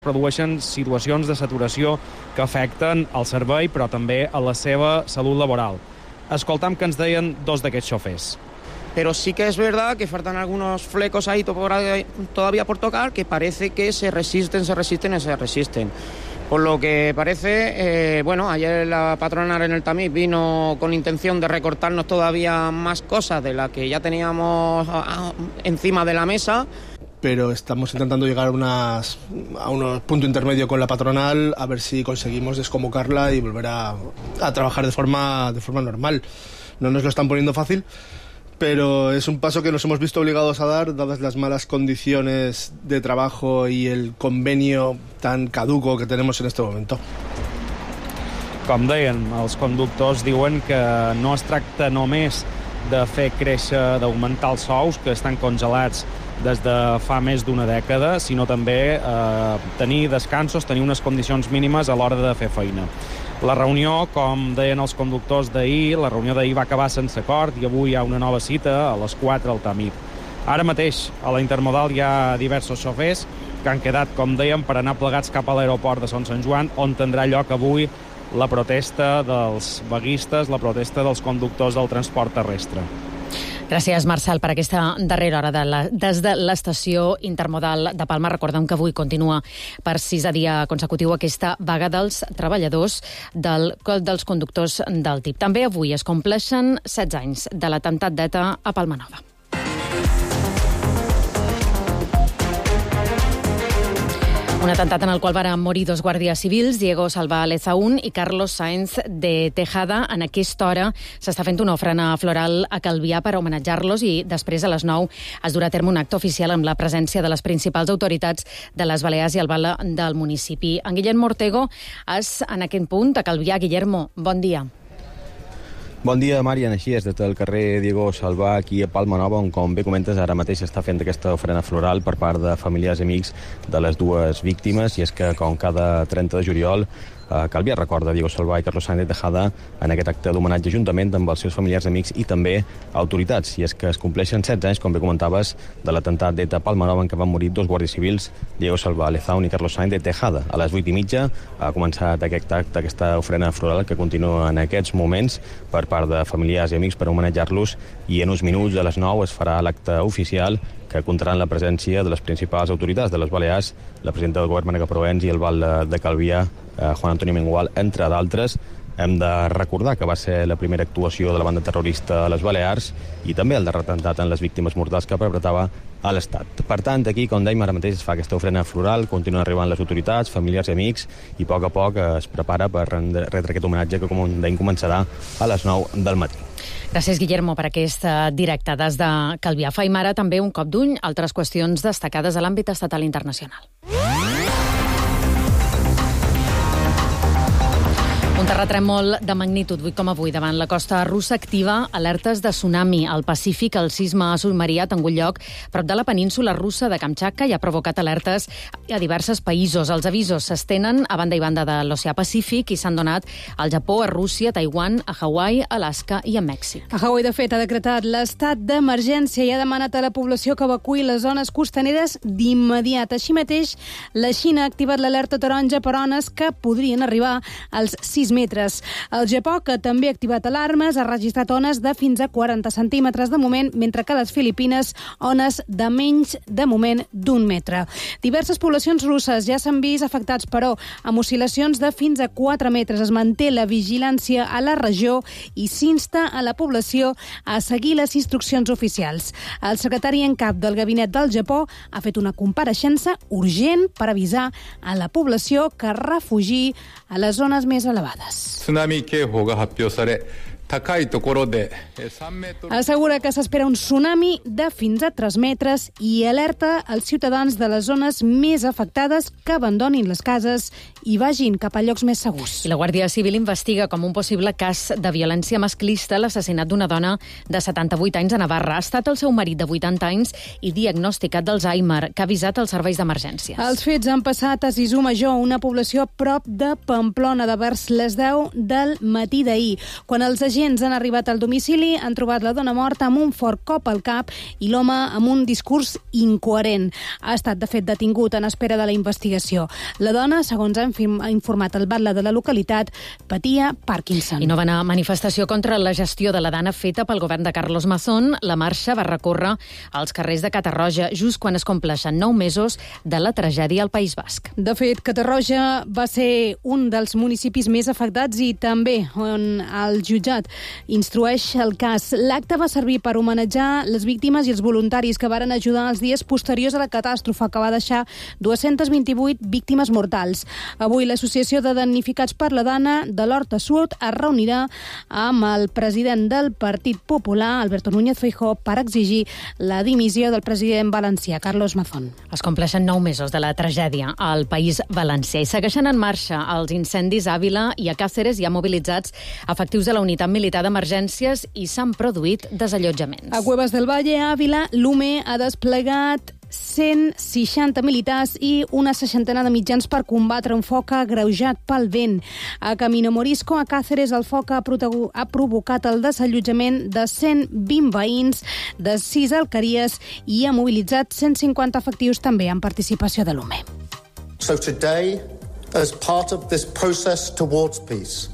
produeixen situacions de saturació que afecten el servei, però també a la seva salut laboral. Escoltam que ens deien dos d'aquests xofers. Pero sí que es verdad que faltan algunos flecos ahí todavía por tocar, que parece que se resisten. Por lo que parece, ayer la patronal en el Tamiz vino con intención de recortarnos todavía más cosas de las que ya teníamos encima de la mesa. Pero estamos intentando llegar a un punto intermedio con la patronal, a ver si conseguimos desconvocarla y volver a trabajar de forma normal. No nos lo están poniendo fácil, pero es un paso que nos hemos visto obligados a dar, dadas las malas condiciones de trabajo y el convenio tan caduco que tenemos en este momento. Com deien, els conductors diuen que no es tracta només de fer créixer, d'augmentar els sous, que estan congelats des de fa més d'una dècada, sinó també tenir descansos, tenir unes condicions mínimes a l'hora de fer feina. La reunió, com deien els conductors d'ahir, la reunió d'ahir va acabar sense acord i avui hi ha una nova cita a les 4 al Tamiz. Ara mateix, a la Intermodal hi ha diversos xofers que han quedat, com dèiem, per anar plegats cap a l'aeroport de Son Sant Joan, on tindrà lloc avui la protesta dels vaguistes, la protesta dels conductors del transport terrestre. Gràcies, Marcel, per aquesta darrera hora des de l'estació Intermodal de Palma. Recordem que avui continua per 6è dia consecutiu aquesta vaga dels treballadors dels conductors del TIP. També avui es compleixen 16 anys de l'atemptat d'ETA a Palma Nova. Un atemptat en el qual van morir 2 guàrdies civils, Diego Salva Lezaún i Carlos Sáenz de Tejada. En aquesta hora s'està fent una ofrena floral a Calvià per homenatjar-los i després a les 9 es durà a terme un acte oficial amb la presència de les principals autoritats de les Balears i el Val del municipi. En Guillermo Ortego és en aquest punt a Calvià. Guillermo, bon dia. Bon dia, Marian. Així és, des del carrer Diego Salvà, aquí a Palma Nova, on, com bé comentes, ara mateix s'està fent aquesta ofrena floral per part de familiars i amics de les dues víctimes, i és que, com cada 30 de juliol, Calvià recorda Diego Salvà i Carlos Sáenz de Tejada en aquest acte d'homenatge juntament amb els seus familiars, amics i també autoritats. I és que es compleixen 16 anys, com bé comentaves, de l'atemptat d'ETA a Palma Nova, en què van morir 2 guàrdies civils, Diego Salvà Lezaún i Carlos Sáenz de Tejada. A les 8:30 ha començat aquest acte, aquesta ofrena floral que continua en aquests moments per part de familiars i amics per homenatjar-los, i en uns minuts, a les 9, es farà l'acte oficial que comptarà amb la presència de les principals autoritats de les Balears, la presidenta del govern, Mònica Proens, i el Val de Calvià, Juan Antonio Mengual, entre d'altres. Hem de recordar que va ser la primera actuació de la banda terrorista a les Balears i també el darrer atemptat en les víctimes mortals que perpetrava a l'Estat. Per tant, aquí, com dèiem, ara mateix es fa aquesta ofrena floral, continuen arribant les autoritats, familiars i amics, i a poc es prepara per retre aquest homenatge que, com dèiem, començarà a les 9 del matí. Gràcies, Guillermo, per aquest directe des de Calvià. Faim ara també un cop d'ull a altres qüestions destacades a l'àmbit estatal i internacional. Un terratrèmol de magnitud 8,8 davant la costa russa activa alertes de tsunami. Al Pacífic, el sisme submarí ha tingut lloc prop de la península russa de Kamchatka i ha provocat alertes a diversos països. Els avisos s'estenen a banda i banda de l'oceà Pacífic i s'han donat al Japó, a Rússia, a Taiwan, a Hawaii, a Alaska i a Mèxic. A Hawaii, de fet, ha decretat l'estat d'emergència i ha demanat a la població que evacuï les zones costaneres d'immediat. Així mateix, la Xina ha activat l'alerta taronja per ones que podrien arribar als 6 metres. El Japó, que també ha activat alarmes, ha registrat ones de fins a 40 centímetres de moment, mentre que a les Filipines ones de menys, de moment, d'1 metre. Diverses poblacions russes ja s'han vist afectats, però amb oscil·lacions de fins a 4 metres. Es manté la vigilància a la regió i s'insta a la població a seguir les instruccions oficials. El secretari en cap del gabinet del Japó ha fet una compareixença urgent per avisar a la població que refugi a les zones més elevades. 津波警報が発表され Assegura que s'espera un tsunami de fins a 3 metres i alerta als ciutadans de les zones més afectades que abandonin les cases i vagin cap a llocs més segurs. I la Guàrdia Civil investiga com un possible cas de violència masclista l'assassinat d'una dona de 78 anys a Navarra. Ha estat el seu marit de 80 anys i diagnosticat d'Alzheimer, que ha avisat els serveis d'emergències. Els fets han passat a Sisú Major, una població prop de Pamplona, de vers les 10 del matí d'ahir, quan els agents agents han arribat al domicili, han trobat la dona morta amb un fort cop al cap i l'home amb un discurs incoherent. Ha estat, de fet, detingut en espera de la investigació. La dona, segons ha informat el batlle de la localitat, patia Parkinson. I no va anar a manifestació contra la gestió de la dana feta pel govern de Carlos Mazón. La marxa va recórrer als carrers de Catarroja just quan es compleixen 9 mesos de la tragèdia al País Basc. De fet, Catarroja va ser un dels municipis més afectats i també on el jutjat instrueix el cas. L'acte va servir per homenatjar les víctimes i els voluntaris que varen ajudar els dies posteriors a la catàstrofe que va deixar 228 víctimes mortals. Avui l'Associació de Damnificats per la Dana de l'Horta Sud es reunirà amb el president del Partit Popular, Alberto Núñez Feijóo, per exigir la dimissió del president valencià, Carlos Mazón. Es compleixen 9 mesos de la tragèdia al País Valencià i segueixen en marxa els incendis a Àvila i a Càceres. Hi ha mobilitzats efectius de la unitat militar d'emergències i s'han produït desallotjaments. A Cuevas del Valle, a Àvila, l'UME ha desplegat 160 militars i una 60 de mitjans per combatre un foc agreujat pel vent. A Camino Morisco, a Càceres, el foc ha provocat el desallotjament de 120 veïns de 6 alqueries i ha mobilitzat 150 efectius també en participació de l'UME. So today, as part of this process towards peace,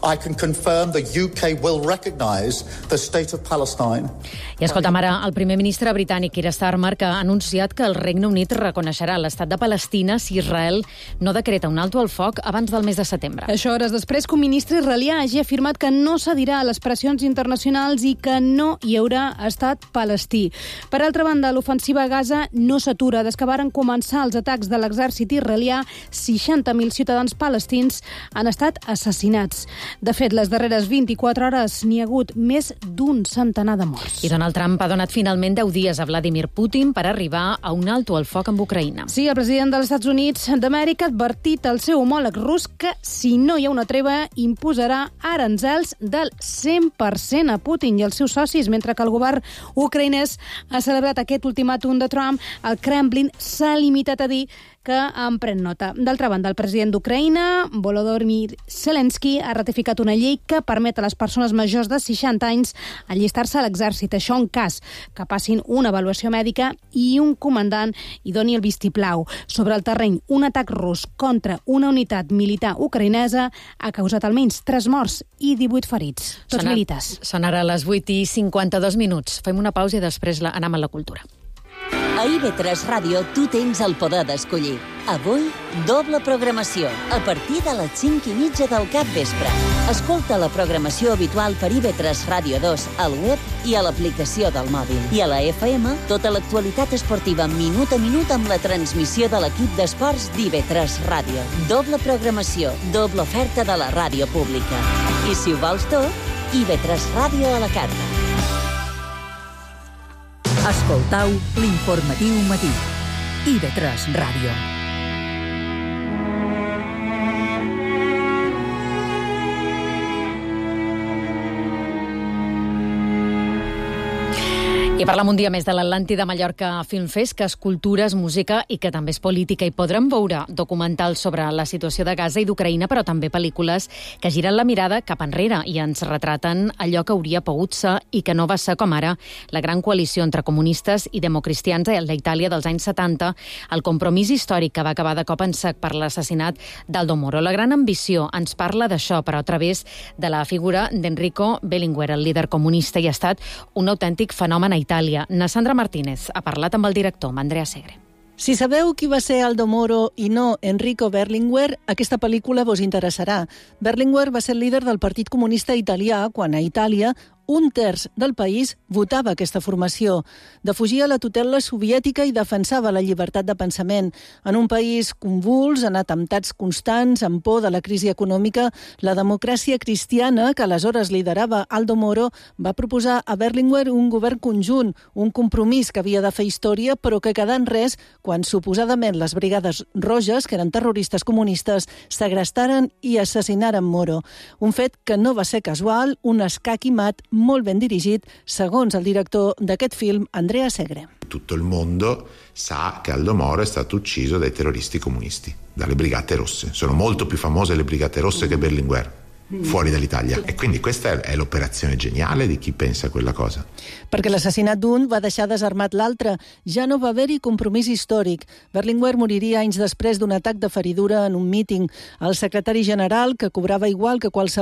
I can confirm the UK will recognise the state of Palestine. I escolta'm ara el primer ministre britànic, Keir Starmer, que ha anunciat que el Regne Unit reconeixerà l'estat de Palestina si Israel no decreta un alto al foc abans del mes de setembre. Això hores després que un ministre israelià hagi afirmat que no cedirà a les pressions internacionals i que no hi haurà estat palestí. Per altra banda, l'ofensiva a Gaza no s'atura. Des que varen començar els atacs de l'exèrcit israelià, 60.000 ciutadans palestins han estat assassinats. De fet, les darreres 24 hores n'hi ha hagut més d'un centenar de morts. I Donald Trump ha donat finalment 10 dies a Vladimir Putin per arribar a un alto al foc amb Ucraïna. Sí, el president dels Estats Units d'Amèrica ha advertit al seu homòleg rus que si no hi ha una treva imposarà aranzels del 100% a Putin i els seus socis, mentre que el govern ucraïnès ha celebrat aquest ultimàtum de Trump. El Kremlin s'ha limitat a dir que en pren nota. D'altra banda, el president d'Ucraïna, Volodymyr Zelensky, ha ratificat una llei que permet a les persones majors de 60 anys allistar-se a l'exèrcit. Això en cas que passin una avaluació mèdica i un comandant hi doni el vistiplau. Sobre el terreny, un atac rus contra una unitat militar ucraïnesa ha causat almenys 3 morts i 18 ferits, tots militars. Són ara les 8:52. Fem una pausa i després anem a la cultura. A IB3 Ràdio tu tens el poder d'escollir. Avui, doble programació, a partir de les 5:30 del capvespre. Escolta la programació habitual per IB3 Ràdio 2 al web i a l'aplicació del mòbil. I a la FM, tota l'actualitat esportiva minut a minut amb la transmissió de l'equip d'esports d'IB3 Ràdio. Doble programació, doble oferta de la ràdio pública. I si ho vols tot, IB3 Ràdio a la carta. Escoltau l'informatiu matí. IB3 Ràdio. I parlem un dia més de l'Atlàntida Mallorca Film Fest, que és cultura, és música i que també és política. I podrem veure documentals sobre la situació de Gaza i d'Ucraïna, però també pel·lícules que giren la mirada cap enrere i ens retraten allò que hauria pogut ser i que no va ser, com ara la gran coalició entre comunistes i democristians a la Itàlia dels anys 70, el compromís històric que va acabar de cop en sec per l'assassinat d'Aldo Moro. La gran ambició ens parla d'això, però a través de la figura d'Enrico Berlinguer, el líder comunista, i ha estat un autèntic fenomen a Itàlia. Na Sandra Martínez ha parlat amb el director, amb Andrea Segre. Si sabeu qui va ser Aldo Moro i no Enrico Berlinguer, aquesta pel·lícula vos interessarà. Berlinguer va ser el líder del Partit Comunista Italià quan a Itàlia 1/3 del país votava aquesta formació. Defugia la tutela soviètica i defensava la llibertat de pensament. En un país convuls, en atemptats constants, amb por de la crisi econòmica, la democràcia cristiana, que aleshores liderava Aldo Moro, va proposar a Berlinguer un govern conjunt, un compromís que havia de fer història, però que quedà en res quan suposadament les Brigades Roges, que eren terroristes comunistes, segrestaren i assassinaren Moro. Un fet que no va ser casual, un escaquimat molt ben dirigit, segons el director d'aquest film, Andrea Segre. Tutto il mondo sa che Aldo Moro è stato ucciso dai terroristi comunisti, dalle Brigate Rosse. Sono molto più famose le Brigate Rosse che Berlinguer. fuori dall'Italia. E quindi questa è l'operazione geniale di chi pensa a quella cosa. Perquè l'assassinat d'un va deixar desarmat l'altre. Ja no va haver-hi compromís històric. Berlinguer moriria anys després d'un atac de feridura en un míting. El secretari general, que cobrava igual que qualsevol